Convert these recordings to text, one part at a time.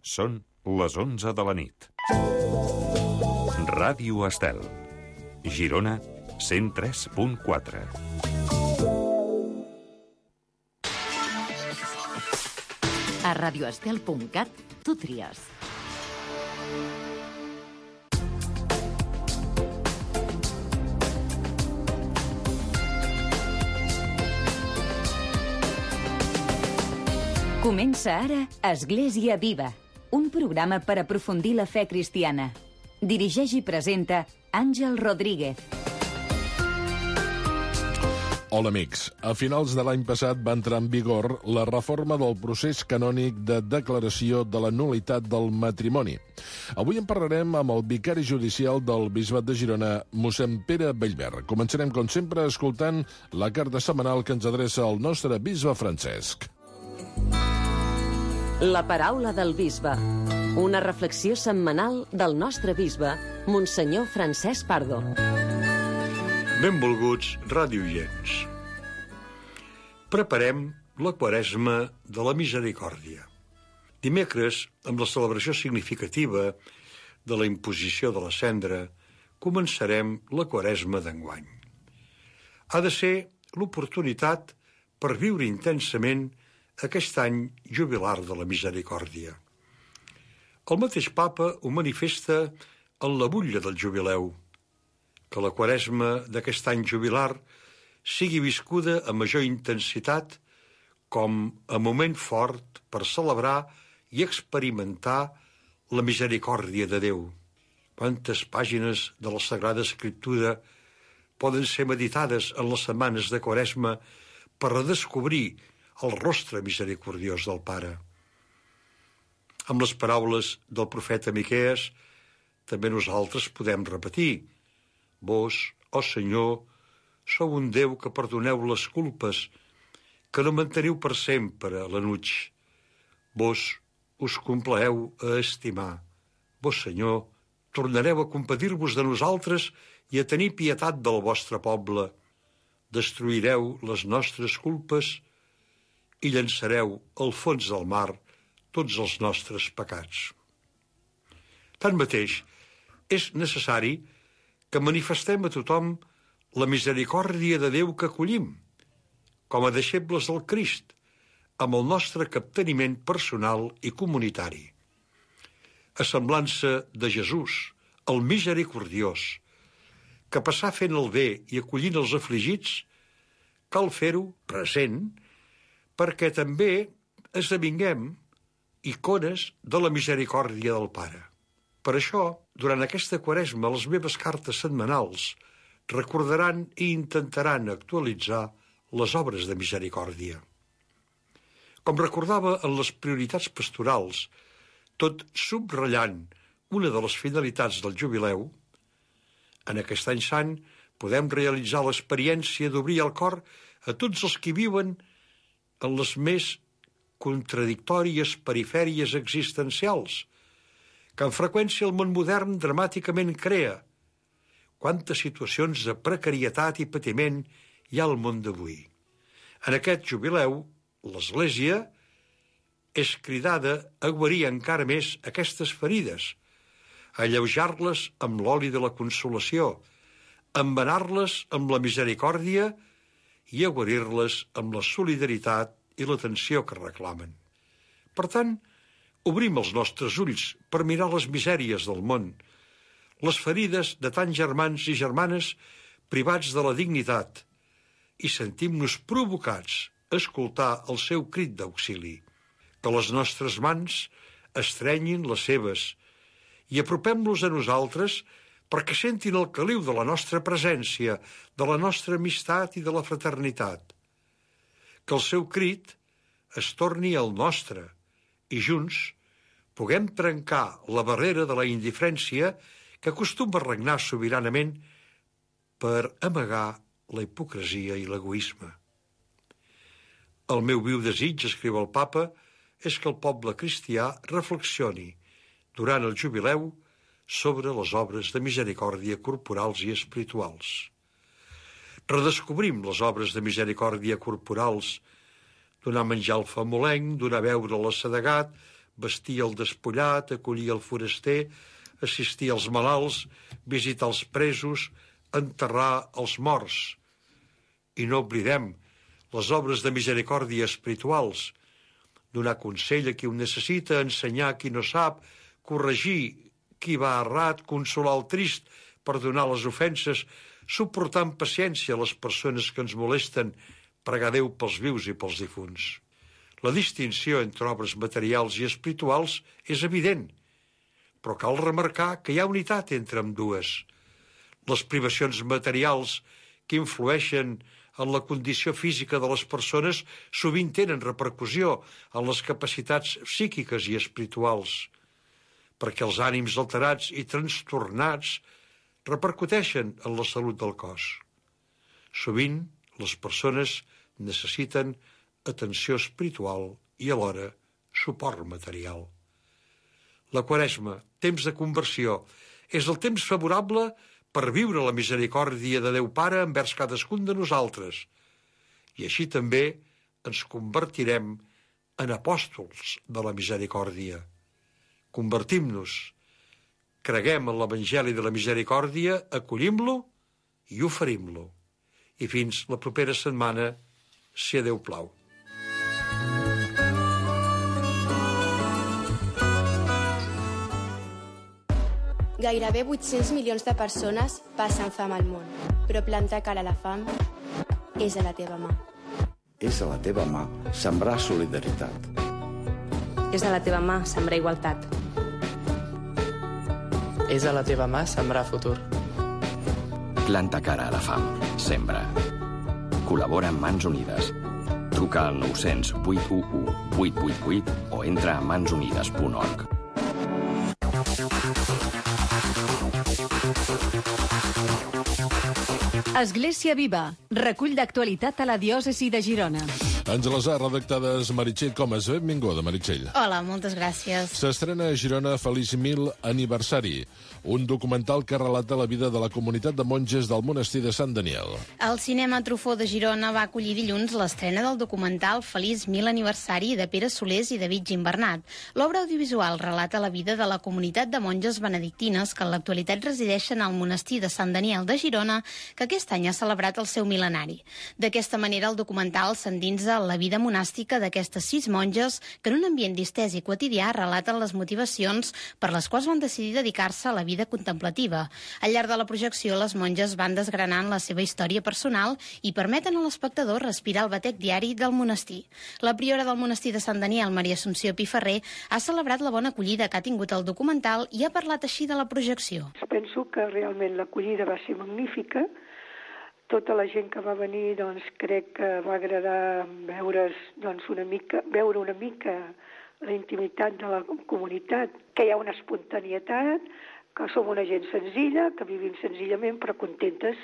Són les 11 de la nit. Ràdio Estel. Girona, 103.4. A radioestel.cat tu tries. Comença ara Església Viva, un programa per aprofundir la fe cristiana. Dirigeix i presenta Àngel Rodríguez. Hola, amics. A finals de l'any passat va entrar en vigor la reforma del procés canònic de declaració de la nul·litat del matrimoni. Avui en parlarem amb el vicari judicial del Bisbat de Girona, mossèn Pere Bellver. Començarem, com sempre, escoltant la carta setmanal que ens adreça el nostre bisbe Francesc. La paraula del bisbe. Una reflexió setmanal del nostre bisbe, Monsenyor Francesc Pardo. Benvolguts radioients. Preparem la Quaresma de la Misericòrdia. Dimecres, amb la celebració significativa de la imposició de la cendra, començarem la Quaresma d'enguany. Ha de ser l'oportunitat per viure intensament aquest any jubilar de la misericòrdia. El mateix papa ho manifesta en la butlla del jubileu, que la Quaresma d'aquest any jubilar sigui viscuda amb major intensitat com a moment fort per celebrar i experimentar la misericòrdia de Déu. Quantes pàgines de la Sagrada Escriptura poden ser meditades en les setmanes de Quaresma per redescobrir el rostre misericordiós del Pare. Amb les paraules del profeta Miquees, també nosaltres podem repetir: Vos, ó Senyor, sou un Déu que perdoneu les culpes, que no manteniu per sempre l'enuig. Vos us complaeu a estimar. Vos, Senyor, tornareu a compadir-vos de nosaltres i a tenir pietat del vostre poble. Destruireu les nostres culpes i llançareu al fons del mar tots els nostres pecats. Tanmateix, és necessari que manifestem a tothom la misericòrdia de Déu que acollim, com a deixebles del Crist, amb el nostre capteniment personal i comunitari. A semblança de Jesús, el misericordiós, que passà fent el bé i acollint els afligits, cal fer-ho present, perquè també esdevinguem icones de la misericòrdia del Pare. Per això, durant aquesta Quaresma, les meves cartes setmanals recordaran i intentaran actualitzar les obres de misericòrdia. Com recordava en les prioritats pastorals, tot subratllant una de les finalitats del jubileu, en aquest any sant podem realitzar l'experiència d'obrir el cor a tots els que viuen en les més contradictòries perifèries existencials, que amb freqüència el món modern dramàticament crea. Quantes situacions de precarietat i patiment hi ha al món d'avui. En aquest jubileu, l'Església és cridada a guarir encara més aquestes ferides, a alleujar-les amb l'oli de la consolació, a embenar-les amb la misericòrdia i a guarir-les amb la solidaritat i l'atenció que reclamen. Per tant, obrim els nostres ulls per mirar les misèries del món, les ferides de tants germans i germanes privats de la dignitat, i sentim-nos provocats a escoltar el seu crit d'auxili. Que les nostres mans estrenyin les seves i apropem-los a nosaltres perquè sentin el caliu de la nostra presència, de la nostra amistat i de la fraternitat. Que el seu crit es torni al nostre i junts puguem trencar la barrera de la indiferència que acostuma a regnar sobiranament per amagar la hipocresia i l'egoisme. El meu viu desig, escriu el papa, és que el poble cristià reflexioni durant el jubileu sobre les obres de misericòrdia corporals i espirituals. Redescobrim les obres de misericòrdia corporals, donar menjar al famolenc, donar beure a l'assedegat, vestir el despullat, acollir el foraster, assistir als malalts, visitar els presos, enterrar els morts. I no oblidem les obres de misericòrdia espirituals, donar consell a qui ho necessita, ensenyar a qui no sap, corregir qui va errat, consolar el trist, perdonar les ofenses, suportar amb paciència les persones que ens molesten, pregar Déu pels vius i pels difunts. La distinció entre obres materials i espirituals és evident, però cal remarcar que hi ha unitat entre ambdues. Les privacions materials que influeixen en la condició física de les persones sovint tenen repercussió en les capacitats psíquiques i espirituals, perquè els ànims alterats i trastornats repercuteixen en la salut del cos. Sovint, les persones necessiten atenció espiritual i alhora suport material. La Quaresma, temps de conversió, és el temps favorable per viure la misericòrdia de Déu Pare envers cadascun de nosaltres. I així també ens convertirem en apòstols de la misericòrdia. Convertim-nos, creguem en l'Evangeli de la Misericòrdia, acollim-lo i oferim-lo. I fins la propera setmana, si a Déu plau. Gairebé 800 milions de persones passen fam al món, però plantar cara a la fam és a la teva mà. És a la teva mà sembrar solidaritat. És a la teva mà sembrar igualtat. És a la teva mà sembrar futur. Planta cara a la fam. Sembra. Col·labora amb Mans Unides. Truca al 900 811 888 o entra a mansunides.org. Església Viva, recull d'actualitat a la diòcesi de Girona. Àngela Sá, redactades Meritxell Comas. Benvinguda, Meritxell. Hola, moltes gràcies. S'estrena a Girona Feliç 1000 aniversari, un documental que relata la vida de la comunitat de monges del monestir de Sant Daniel. El Cinema Truffaut de Girona va acollir dilluns l'estrena del documental Feliç 1000 aniversari de Pere Solés i David Gimbernat. L'obra audiovisual relata la vida de la comunitat de monges benedictines que en l'actualitat resideixen al monestir de Sant Daniel de Girona, que aquest any ha celebrat el seu mil·lenari. D'aquesta manera, el documental s'endinsa la vida monàstica d'aquestes 6 monges que en un ambient distès i quotidià relaten les motivacions per les quals van decidir dedicar-se a la vida contemplativa. Al llarg de la projecció, les monges van desgranant la seva història personal i permeten a l'espectador respirar el batec diari del monestir. La priora del monestir de Sant Daniel, Maria Assumpció Piferrer, ha celebrat la bona acollida que ha tingut el documental i ha parlat així de la projecció. Penso que realment l'acollida va ser magnífica. Tota la gent que va venir, doncs, crec que va agradar veure una mica la intimitat de la comunitat, que hi ha una espontanietat, que som una gent senzilla, que vivim senzillament però contentes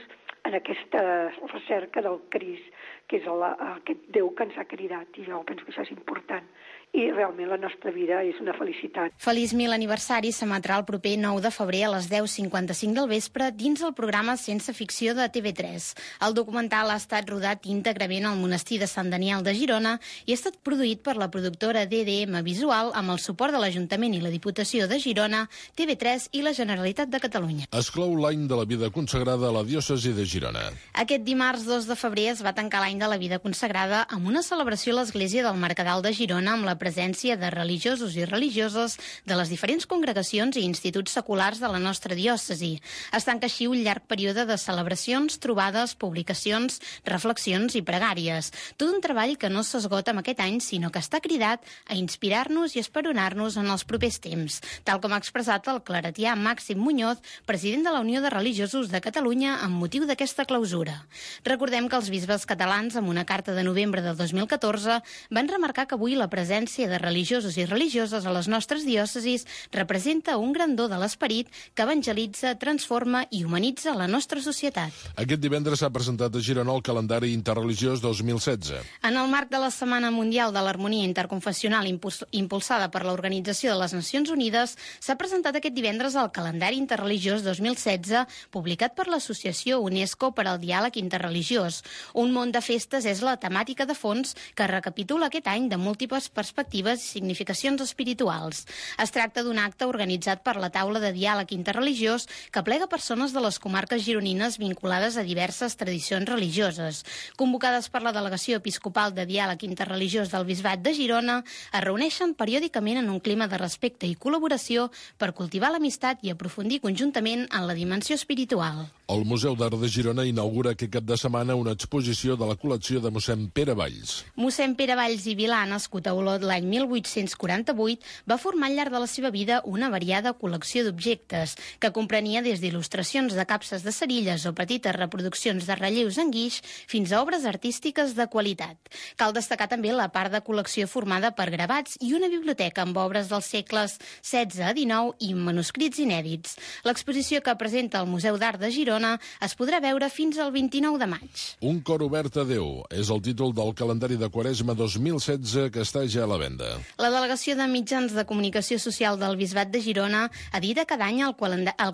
en aquesta recerca del Crist, que és aquest Déu que ens ha cridat, i jo penso que això és important. I realment la nostra vida és una felicitat. Feliç 1000 aniversari s'emetrà el proper 9 de febrer a les 10:55 del vespre dins el programa Sense Ficció de TV3. El documental ha estat rodat íntegrament al monestir de Sant Daniel de Girona i ha estat produït per la productora DDM Visual amb el suport de l'Ajuntament i la Diputació de Girona, TV3 i la Generalitat de Catalunya. Es clou l'any de la vida consagrada a la diòcesi de Girona. Aquest dimarts 2 de febrer es va tancar l'any de la vida consagrada amb una celebració a l'església del Mercadal de Girona amb la presència de religiosos i religioses de les diferents congregacions i instituts seculars de la nostra diòcesi. Es tanca així un llarg període de celebracions, trobades, publicacions, reflexions i pregàries. Tot un treball que no s'esgota amb aquest any, sinó que està cridat a inspirar-nos i esperonar-nos en els propers temps, tal com ha expressat el claretià Màxim Muñoz, president de la Unió de Religiosos de Catalunya, amb motiu d'aquesta clausura. Recordem que els bisbes catalans, amb una carta de novembre del 2014, van remarcar que avui la presència de religiosos i religioses a les nostres diòcesis representa un gran do de l'esperit que evangelitza, transforma i humanitza la nostra societat. Aquest divendres s'ha presentat a Girona el calendari interreligiós 2016. En el marc de la Setmana Mundial de l'Harmonia Interconfessional impulsada per l'Organització de les Nacions Unides, s'ha presentat aquest divendres el calendari interreligiós 2016 publicat per l'associació UNESCO UNESCO per al diàleg interreligiós. Un món de festes és la temàtica de fons que recapitula aquest any de múltiples perspectives i significacions espirituals. Es tracta d'un acte organitzat per la taula de diàleg interreligiós que aplega persones de les comarques gironines vinculades a diverses tradicions religioses. Convocades per la Delegació Episcopal de Diàleg Interreligiós del Bisbat de Girona, es reuneixen periòdicament en un clima de respecte i col·laboració per cultivar l'amistat i aprofundir conjuntament en la dimensió espiritual. El Museu d'Art de Girona inaugura aquest cap de setmana una exposició de la col·lecció de mossèn Pere Valls. Mossèn Pere Valls i Vilà, nascut a Olot l'any 1848, va formar al llarg de la seva vida una variada col·lecció d'objectes, que comprenia des d'il·lustracions de capses de cerilles o petites reproduccions de relleus en guix fins a obres artístiques de qualitat. Cal destacar també la part de col·lecció formada per gravats i una biblioteca amb obres dels segles XVI a XIX i manuscrits inèdits. L'exposició que presenta el Museu d'Art de Girona es podrà veure fins al 29 de maig. Un cor obert a Déu és el títol del calendari de Quaresma 2016 que està ja a la venda. La Delegació de Mitjans de Comunicació Social del Bisbat de Girona edita cada any el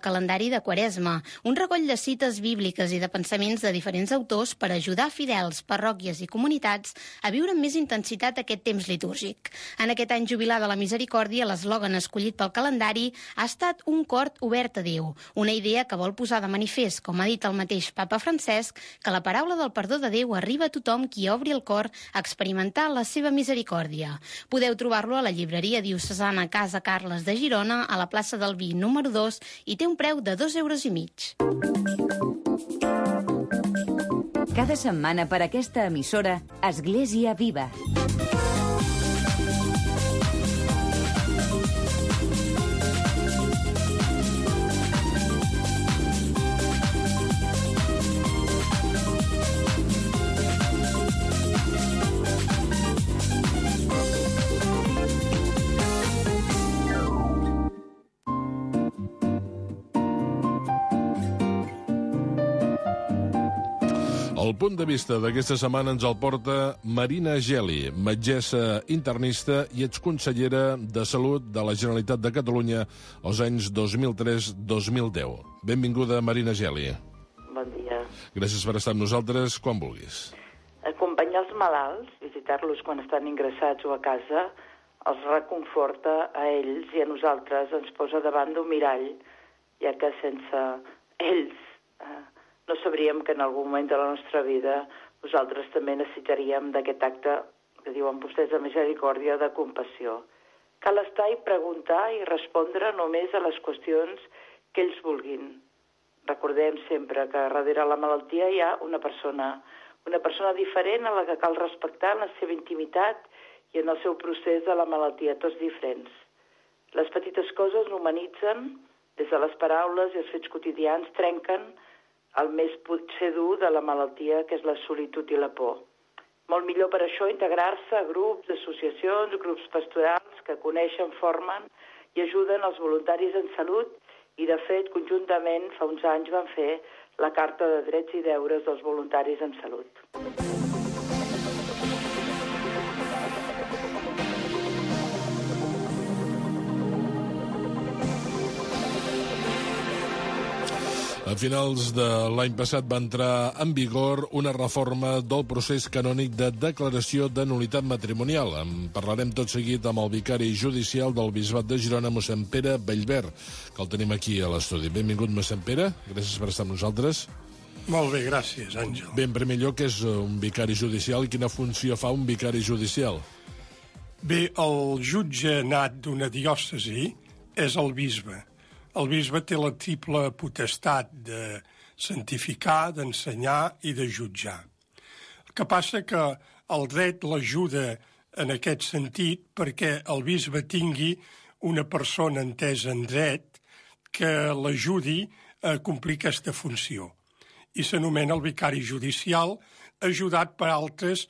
calendari de Quaresma, un recoll de cites bíbliques i de pensaments de diferents autors per ajudar fidels, parròquies i comunitats a viure amb més intensitat aquest temps litúrgic. En aquest any jubilar de la Misericòrdia, l'eslògan escollit pel calendari ha estat un cor obert a Déu, una idea que vol posar de manifest, com ha dit el mateix Papa Francesc, que la paraula del perdó de Déu arriba a tothom qui obri el cor a experimentar la seva misericòrdia. Podeu trobar-lo a la llibreria diocesana Casa Carles de Girona, a la plaça del Vi número 2, i té un preu de 2,50 €. Cada setmana per aquesta emissora, Església Viva. El punt de vista d'aquesta setmana ens el porta Marina Geli, metgessa internista i exconsellera de Salut de la Generalitat de Catalunya als anys 2003-2010. Benvinguda, Marina Geli. Bon dia. Gràcies per estar amb nosaltres quan vulguis. Acompanyar els malalts, visitar-los quan estan ingressats o a casa, els reconforta a ells i a nosaltres, ens posa davant d'un mirall, ja que sense ells no sabríem que en algun moment de la nostra vida nosaltres també necessitaríem d'aquest acte que diuen vostès de misericòrdia, de compassió. Cal estar i preguntar i respondre només a les qüestions que ells vulguin. Recordem sempre que darrere la malaltia hi ha una persona diferent a la que cal respectar en la seva intimitat i en el seu procés de la malaltia, tots diferents. Les petites coses humanitzen, des de les paraules i els fets quotidians trenquen el més potser dur de la malaltia, que és la solitud i la por. Molt millor per això integrar-se a grups, associacions, grups pastorals que coneixen, formen i ajuden els voluntaris en salut i, de fet, conjuntament, fa uns anys van fer la Carta de Drets i Deures dels voluntaris en salut. A finals de l'any passat va entrar en vigor una reforma del procés canònic de declaració de nul·litat matrimonial. En parlarem tot seguit amb el vicari judicial del Bisbat de Girona, mossèn Pere Bellver, que el tenim aquí a l'estudi. Benvingut, mossèn Pere. Gràcies per estar amb nosaltres. Molt bé, gràcies, Àngel. Bé, en primer lloc, és un vicari judicial i quina funció fa un vicari judicial? Bé, el jutge nat d'una diòcesi és el bisbe. El bisbe té la triple potestat de santificar, d'ensenyar i de jutjar. El que passa que el dret l'ajuda en aquest sentit perquè el bisbe tingui una persona entesa en dret que l'ajudi a complir aquesta funció. I s'anomena el vicari judicial, ajudat per altres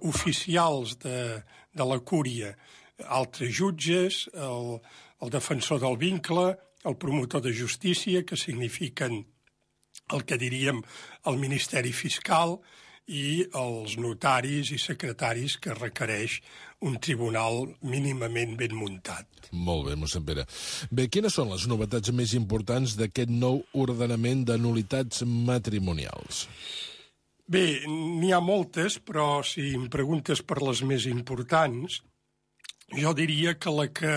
oficials de la cúria, altres jutges, el defensor del vincle, el promotor de justícia, que signifiquen el que diríem el Ministeri Fiscal, i els notaris i secretaris que requereix un tribunal mínimament ben muntat. Molt bé, mossèn Pere. Bé, quines són les novetats més importants d'aquest nou ordenament de nul·litats matrimonials? Bé, n'hi ha moltes, però si em preguntes per les més importants, jo diria que la que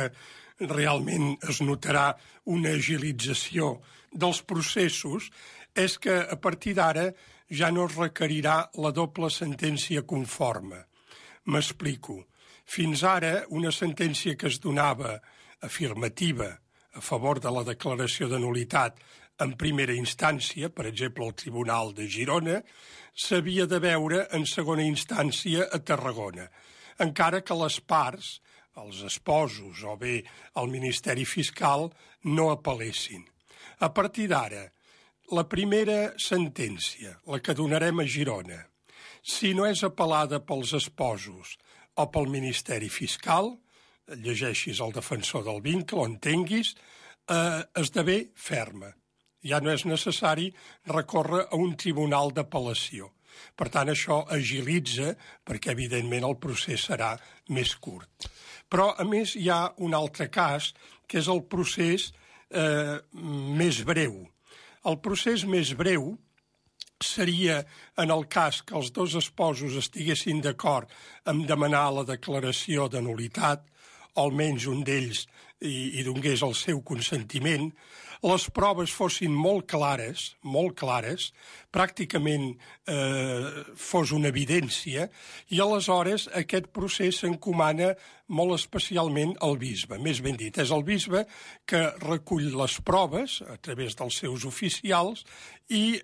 realment es notarà una agilització dels processos és que a partir d'ara ja no es requerirà la doble sentència conforme. M'explico. Fins ara, una sentència que es donava afirmativa a favor de la declaració de nul·litat en primera instància, per exemple, al Tribunal de Girona, s'havia de veure en segona instància a Tarragona, encara que les parts, els esposos o bé el Ministeri Fiscal, no apel·lessin. A partir d'ara, la primera sentència, la que donarem a Girona, si no és apel·lada pels esposos o pel Ministeri Fiscal, llegeixis el defensor del vincle o entenguis, esdevé ferma. Ja no és necessari recórrer a un tribunal d'apel·lació. Per tant, això agilitza perquè, evidentment, el procés serà més curt. Però, a més, hi ha un altre cas, que és el procés més breu. El procés més breu seria en el cas que els dos esposos estiguessin d'acord en demanar la declaració de nul·litat, o almenys un d'ells hi donés el seu consentiment, les proves fossin molt clares, pràcticament fos una evidència, i aleshores aquest procés s'encomana molt especialment al bisbe. Més ben dit, és el bisbe que recull les proves a través dels seus oficials i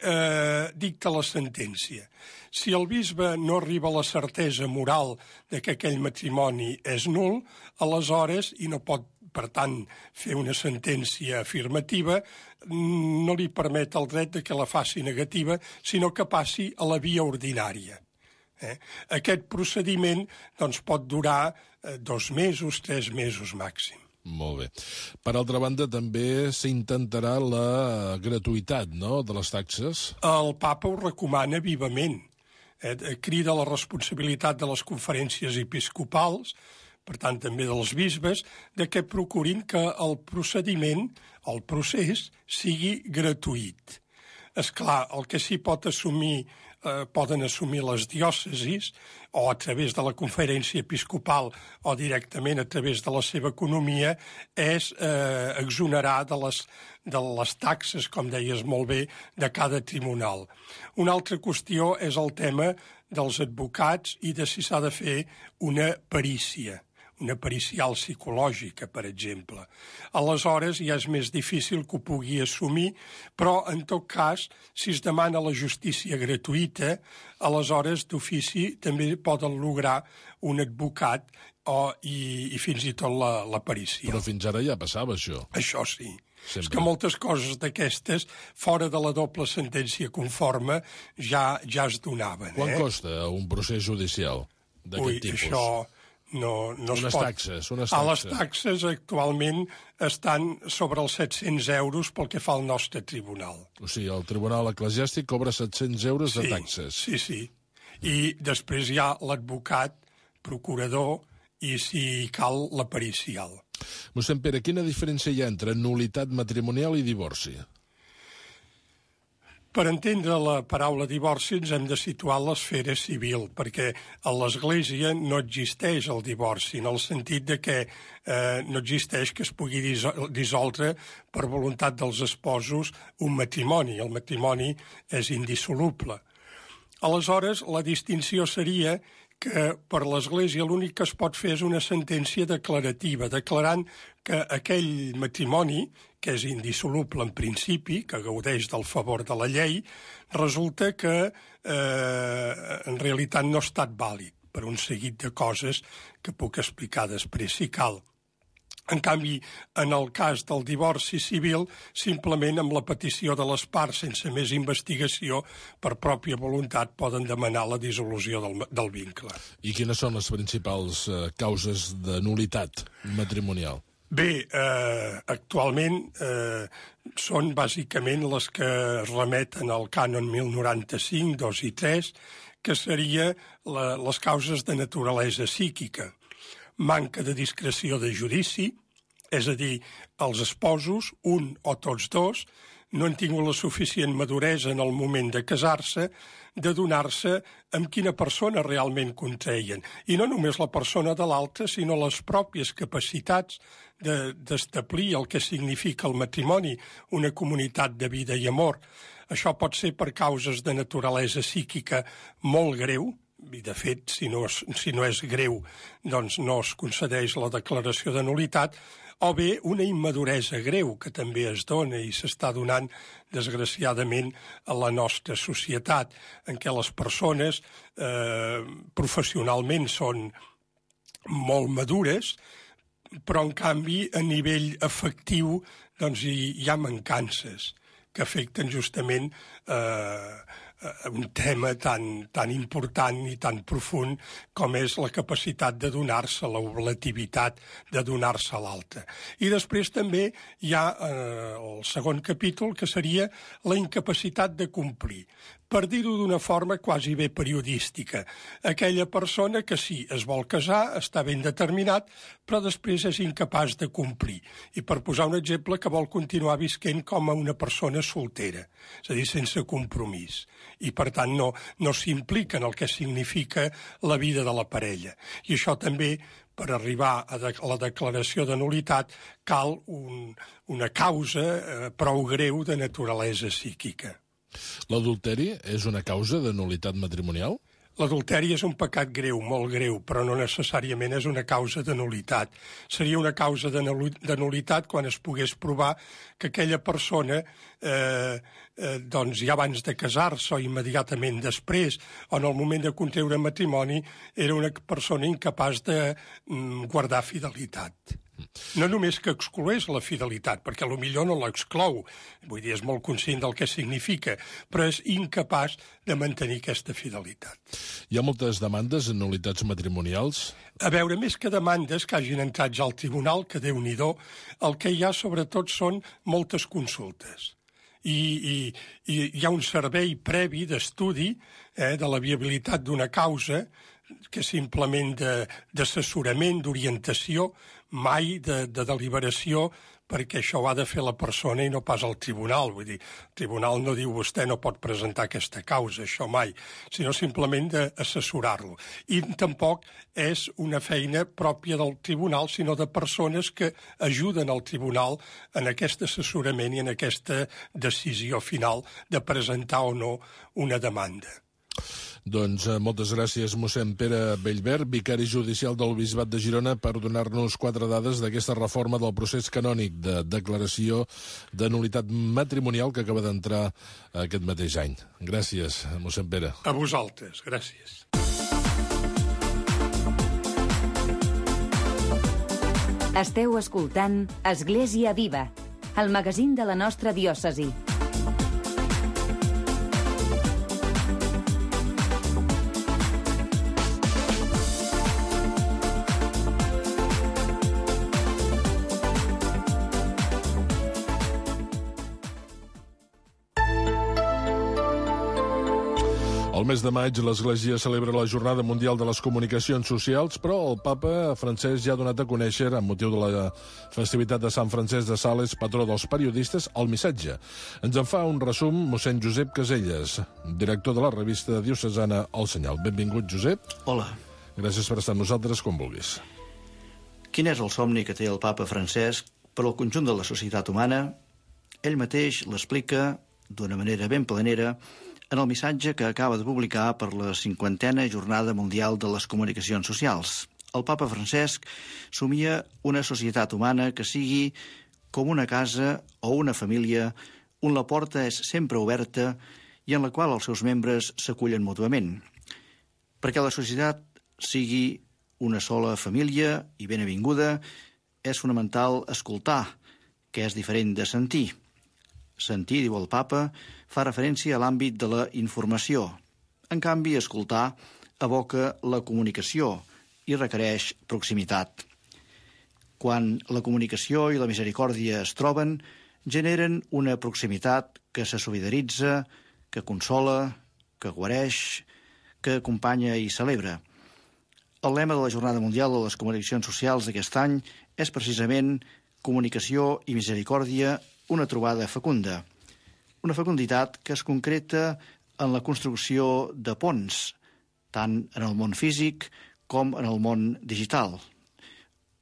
dicta la sentència. Si el bisbe no arriba a la certesa moral de que aquell matrimoni és nul, aleshores, i no pot, per tant, fer una sentència afirmativa, no li permet el dret de que la faci negativa, sinó que passi a la via ordinària. Aquest procediment doncs, pot durar 2 mesos, 3 mesos màxim. Molt bé. Per altra banda, també s'intentarà la gratuïtat, no?, de les taxes. El papa ho recomana vivament. Crida la responsabilitat de les conferències episcopals, per tant també dels bisbes, de que procurin que el procediment, el procés, sigui gratuït. És clar, el que sí poden assumir les diòcesis, o a través de la conferència episcopal o directament a través de la seva economia, és exonerar de les taxes, com deies molt bé, de cada tribunal. Una altra qüestió és el tema dels advocats i de si s'ha de fer una perícia. Una pericial psicològica, per exemple. Aleshores ja és més difícil que ho pugui assumir, però en tot cas, si es demana la justícia gratuïta, aleshores d'ofici també poden lograr un advocat i fins i tot la perícia. Però fins ara ja passava això. Això sí. Sempre. És que moltes coses d'aquestes, fora de la doble sentència conforme, ja es donaven. Quant costa un procés judicial d'aquest tipus? Això no es pot. Taxes. Les taxes actualment estan sobre els 700 euros pel que fa al nostre tribunal. O sigui, el tribunal eclesiàstic cobra 700 euros de taxes. Sí. I després hi ha l'advocat, procurador i, si cal, la pericial. Mossèn Pere, quina diferència hi ha entre nul·litat matrimonial i divorci? Per entendre la paraula divorci ens hem de situar en l'esfera civil, perquè a l'Església no existeix el divorci, en el sentit de que no existeix que es pugui dissoldre per voluntat dels esposos un matrimoni. El matrimoni és indissoluble. Aleshores, la distinció seria que per l'Església l'únic que es pot fer és una sentència declarativa, declarant que aquell matrimoni, que és indissoluble en principi, que gaudeix del favor de la llei, resulta que en realitat no ha estat vàlid per un seguit de coses que puc explicar després si cal. En canvi, en el cas del divorci civil, simplement amb la petició de les parts, sense més investigació, per pròpia voluntat, poden demanar la dissolució del vincle. I quines són les principals causes de nul·litat matrimonial? Bé, actualment són bàsicament les que es remeten al cànon 1095, 2 i 3, que seria les causes de naturalesa psíquica. Manca de discreció de judici, és a dir, els esposos, un o tots dos, no han tingut la suficient maduresa en el moment de casar-se, de donar-se amb quina persona realment contreien. I no només la persona de l'altra, sinó les pròpies capacitats d'establir el que significa el matrimoni, una comunitat de vida i amor. Això pot ser per causes de naturalesa psíquica molt greu, i de fet, si no és greu, doncs no es concedeix la declaració de nul·litat, o bé una immaduresa greu que també es dona i s'està donant, desgraciadament, a la nostra societat, en què les persones professionalment són molt madures, però, en canvi, a nivell afectiu doncs, hi ha mancances que afecten justament un tema tan important i tan profund com és la capacitat de donar-se, la oblativitat de donar-se a l'altre. I després també hi ha el segon capítol, que seria la incapacitat de complir. Per dir-ho d'una forma quasi bé periodística. Aquella persona que sí, es vol casar, està ben determinat, però després és incapaç de complir. I per posar un exemple, que vol continuar visquent com a una persona soltera, és a dir, sense compromís. I, per tant, no s'implica en el que significa la vida de la parella. I això també, per arribar a la declaració de nul·litat, cal una causa prou greu de naturalesa psíquica. L'adulteri és una causa de nul·litat matrimonial? L'adulteri és un pecat greu, molt greu, però no necessàriament és una causa de nul·litat. Seria una causa de nul·litat quan es pogués provar que aquella persona, doncs ja abans de casar-se o immediatament després, o en el moment de contreure matrimoni, era una persona incapaç de guardar fidelitat. No només que excloés la fidelitat, perquè potser no l'exclou, vull dir, és molt conscient del que significa, però és incapaç de mantenir aquesta fidelitat. Hi ha moltes demandes en nul·litats matrimonials? A veure, més que demandes que hagin entrat ja al tribunal, que Déu-n'hi-do, el que hi ha sobretot són moltes consultes. I hi ha un servei previ d'estudi de la viabilitat d'una causa, que simplement d'assessorament, d'orientació, mai de deliberació, perquè això ho ha de fer la persona i no pas el tribunal. Vull dir, el tribunal no diu vostè no pot presentar aquesta causa, això mai, sinó simplement d'assessorar-lo. I tampoc és una feina pròpia del tribunal, sinó de persones que ajuden al tribunal en aquest assessorament i en aquesta decisió final de presentar o no una demanda. Doncs moltes gràcies, mossèn Pere Bellver, vicari judicial del Bisbat de Girona, per donar-nos 4 dades d'aquesta reforma del procés canònic de declaració de nul·litat matrimonial que acaba d'entrar aquest mateix any. Gràcies, mossèn Pere. A vosaltres, gràcies. Esteu escoltant Església Viva, el magazín de la nostra diòcesi. El mes de maig l'Església celebra la Jornada Mundial de les Comunicacions Socials, però el papa Francesc ja ha donat a conèixer, amb motiu de la festivitat de Sant Francesc de Sales, patró dels periodistes, el missatge. Ens en fa un resum mossèn Josep Caselles, director de la revista diocesana El Senyal. Benvingut, Josep. Hola. Gràcies per estar amb nosaltres, com vulguis. Quin és el somni que té el papa Francesc per al conjunt de la societat humana? Ell mateix l'explica d'una manera ben planera en el missatge que acaba de publicar per la 50a Jornada Mundial de les Comunicacions Socials. El papa Francesc somia una societat humana que sigui com una casa o una família on la porta és sempre oberta i en la qual els seus membres s'acullen mútuament. Perquè la societat sigui una sola família i ben avinguda, és fonamental escoltar, que és diferent de sentir. Sentir, diu el papa, fa referència a l'àmbit de la informació. En canvi, escoltar evoca la comunicació i requereix proximitat. Quan la comunicació i la misericòrdia es troben, generen una proximitat que se solidaritza, que consola, que guareix, que acompanya i celebra. El lema de la Jornada Mundial de les Comunicacions Socials d'aquest any és precisament comunicació i misericòrdia, una trobada fecunda. Una fecunditat que es concreta en la construcció de ponts, tant en el món físic com en el món digital.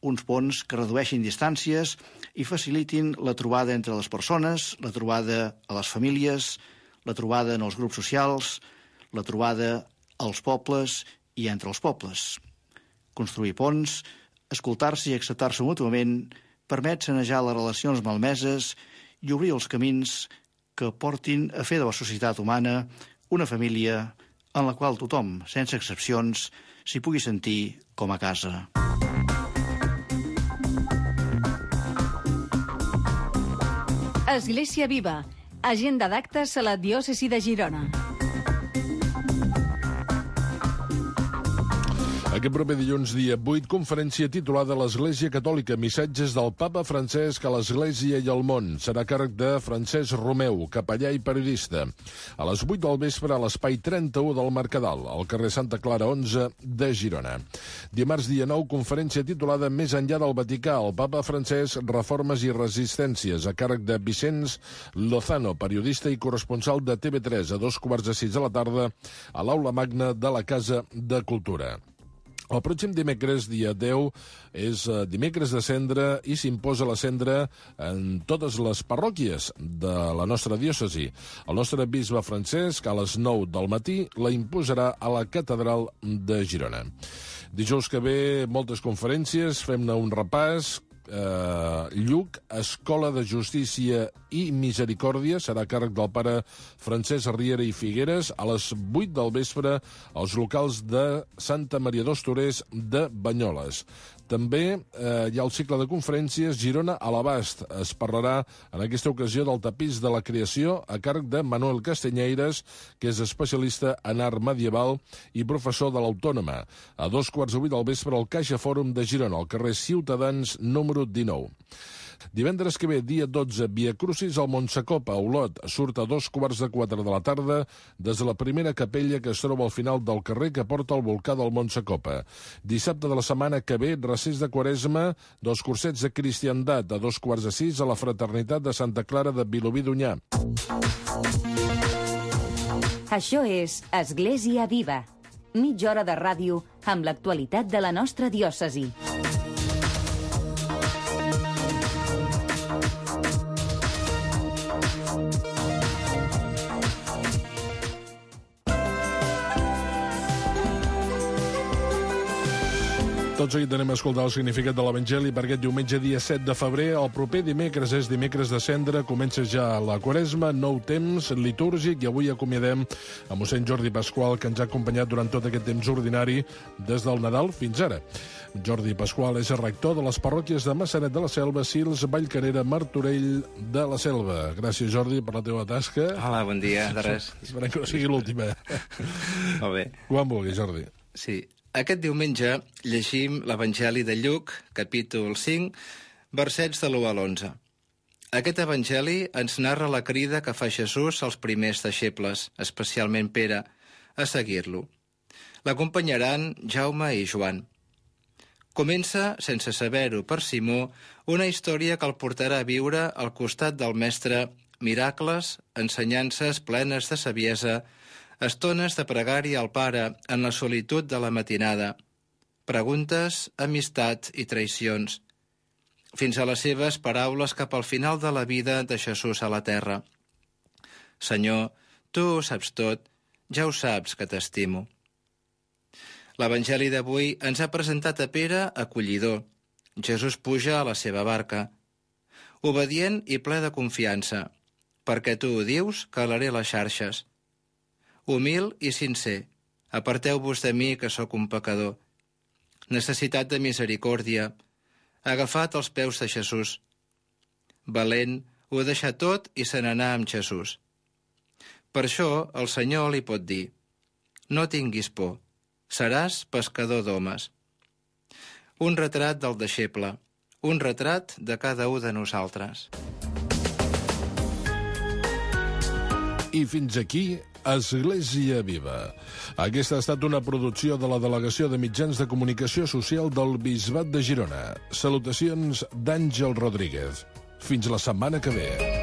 Uns ponts que redueixin distàncies i facilitin la trobada entre les persones, la trobada a les famílies, la trobada en els grups socials, la trobada als pobles i entre els pobles. Construir ponts, escoltar-se i acceptar-se mútuament, permet sanejar les relacions malmeses i obrir els camins que portin a fer de la societat humana una família en la qual tothom, sense excepcions, s'hi pugui sentir com a casa. Església Viva, agenda d'actes a la diòcesi de Girona. Aquest proper dilluns, dia 8, conferència titulada l'Església Catòlica, missatges del Papa Francesc a l'Església i al món. Serà a càrrec de Francesc Romeu, capellà i periodista. A les 8 del vespre a l'espai 31 del Mercadal, al carrer Santa Clara 11 de Girona. Dimarts, dia 9, conferència titulada Més enllà del Vaticà, el Papa Francesc, reformes i resistències, a càrrec de Vicenç Lozano, periodista i corresponsal de TV3, a 5:45 de la tarda, a l'Aula Magna de la Casa de Cultura. El pròxim dimecres, dia 10, és dimecres de cendra i s'imposa la cendra en totes les parròquies de la nostra diòcesi. El nostre bisbe Francesc, a les 9 del matí, la imposarà a la catedral de Girona. Dijous que ve, moltes conferències, fem-ne un repàs. Lluc, Escola de Justícia i Misericòrdia, serà a càrrec del pare Francesc Riera i Figueres, a les 8 del vespre als locals de Santa Maria dos Torers de Banyoles. També hi ha el cicle de conferències Girona a l'abast. Es parlarà en aquesta ocasió del tapís de la creació a càrrec de Manuel Castanyeires, que és especialista en art medieval i professor de l'Autònoma. A 2:15 del vespre al Caixa Fòrum de Girona, al carrer Ciutadans número 19. Divendres que ve, dia 12, Via Crucis al Montsacopa, a Olot. Surt a 3:45 de la tarda des de la primera capella que es troba al final del carrer que porta al volcà del Montsacopa. Dissabte de la setmana que ve, recés de Quaresma dels cursets de cristiandat, a 5:45 a la Fraternitat de Santa Clara de Vilobí d'Onyar. Això és Església Viva. Mitja hora de ràdio amb l'actualitat de la nostra diòcesi. Tot seguit anem a escoltar el significat de l'Evangeli per aquest diumenge, dia 7 de febrer. El proper dimecres és dimecres de cendra, comença ja la Quaresma, nou temps litúrgic, i avui acomiadem a mossèn Jordi Pasqual, que ens ha acompanyat durant tot aquest temps ordinari des del Nadal fins ara. Jordi Pasqual és el rector de les parròquies de Massanet de la Selva, Sils, Vallcarrera, Martorell de la Selva. Gràcies, Jordi, per la teva tasca. Hola, bon dia, de res. Esperem que no sigui l'última. Molt bé. Quan vulgui, Jordi. Sí. Aquest diumenge llegim l'Evangeli de Lluc, capítol 5, versets de l'1 a l'11. Aquest Evangeli ens narra la crida que fa Jesús als primers deixebles, especialment Pere, a seguir-lo. L'acompanyaran Jaume i Joan. Comença, sense saber-ho per Simó, una història que el portarà a viure al costat del Mestre miracles, ensenyances plenes de saviesa, estones de pregària al Pare en la solitud de la matinada, preguntes, amistat i traïcions, fins a les seves paraules cap al final de la vida de Jesús a la terra. Senyor, tu ho saps tot, ja ho saps que t'estimo. L'Evangeli d'avui ens ha presentat a Pere acollidor. Jesús puja a la seva barca. Obedient i ple de confiança, perquè tu ho dius, calaré les xarxes. Humil i sincer, aparteu-vos de mi, que sóc un pecador. Necessitat de misericòrdia, agafat als peus de Jesús. Valent, ho deixà tot i se n'anà amb Jesús. Per això el Senyor li pot dir: no tinguis por, seràs pescador d'homes. Un retrat del deixeble, un retrat de cada un de nosaltres. I fins aquí, Església Viva. Aquesta ha estat una producció de la Delegació de Mitjans de Comunicació Social del Bisbat de Girona. Salutacions d'Àngel Rodríguez. Fins la setmana que ve.